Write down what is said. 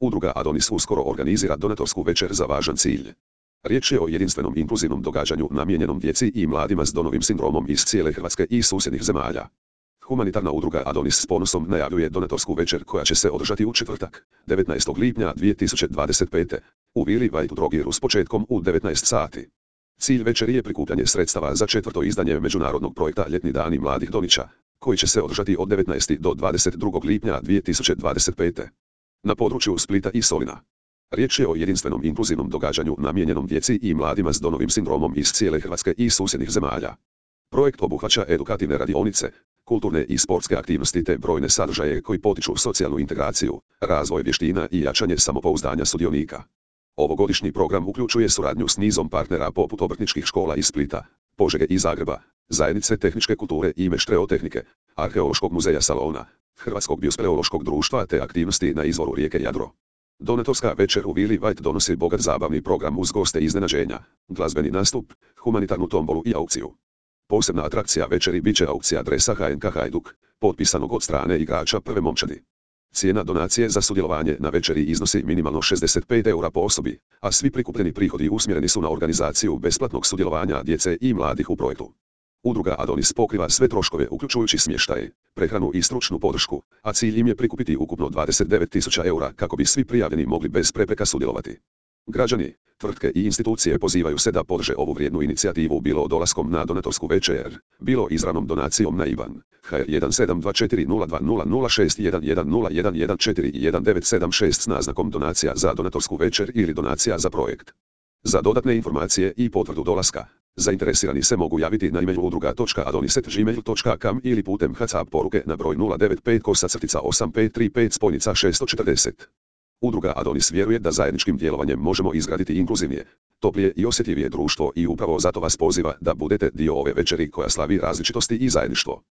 Udruga Adonis uskoro organizira donatorsku večer za važan cilj. Riječ je o jedinstvenom inkluzivnom događanju namijenjenom djeci i mladima s Downovim sindromom iz cijele Hrvatske i susjednih zemalja. Humanitarna udruga Adonis s ponosom najavljuje donatorsku večer koja će se održati u četvrtak, 19. lipnja 2025. u Vili White Drogiru s početkom u 19 sati. Cilj večeri je prikupljanje sredstava za 4. izdanje međunarodnog projekta Ljetni dani mladih Donića, koji će se održati od 19. do 22. lipnja 2025. na području Splita i Solina. Riječ je o jedinstvenom inkluzivnom događanju namijenjenom djeci i mladima s Downovim sindromom iz cijele Hrvatske i susjednih zemalja. Projekt obuhvaća edukativne radionice, kulturne i sportske aktivnosti te brojne sadržaje koji potiču socijalnu integraciju, razvoj vještina i jačanje samopouzdanja sudionika. Ovogodišnji program uključuje suradnju s nizom partnera poput obrtničkih škola iz Splita, Požege i Zagreba, Zajednice tehničke kulture i Meštreo-tehnike, Arheološkog muzeja Salona, Hrvatskog biospeleološkog društva te aktivnosti na izvoru rijeke Jadro. Donatorska večer u Vili White donosi bogat zabavni program uz goste iznenađenja, glazbeni nastup, humanitarnu tombolu i aukciju. Posebna atrakcija večeri bit će aukcija dresa HNK Hajduk, potpisanog od strane igrača prve momčadi. Cijena donacije za sudjelovanje na večeri iznosi minimalno 65 eura po osobi, a svi prikupljeni prihodi usmjereni su na organizaciju besplatnog sudjelovanja djece i mladih u projektu. Udruga Adonis pokriva sve troškove uključujući smještaj, prehranu i stručnu podršku, a cilj im je prikupiti ukupno 29.000 eura kako bi svi prijavljeni mogli bez prepreka sudjelovati. Građani, tvrtke i institucije pozivaju se da podrže ovu vrijednu inicijativu bilo dolaskom na donatorsku večer, bilo izravnom donacijom na IBAN HR1724020061101114 i 1976 s naznakom donacija za donatorsku večer ili donacija za projekt. Za dodatne informacije i potvrdu dolaska, zainteresirani se mogu javiti na e-mail udruga.adonis@gmail.com ili putem WhatsApp poruke na broj 095-8535-640. Udruga Adonis vjeruje da zajedničkim djelovanjem možemo izgraditi inkluzivnije, toplije i osjetljivije društvo i upravo zato vas poziva da budete dio ove večeri koja slavi različitosti i zajedništvo.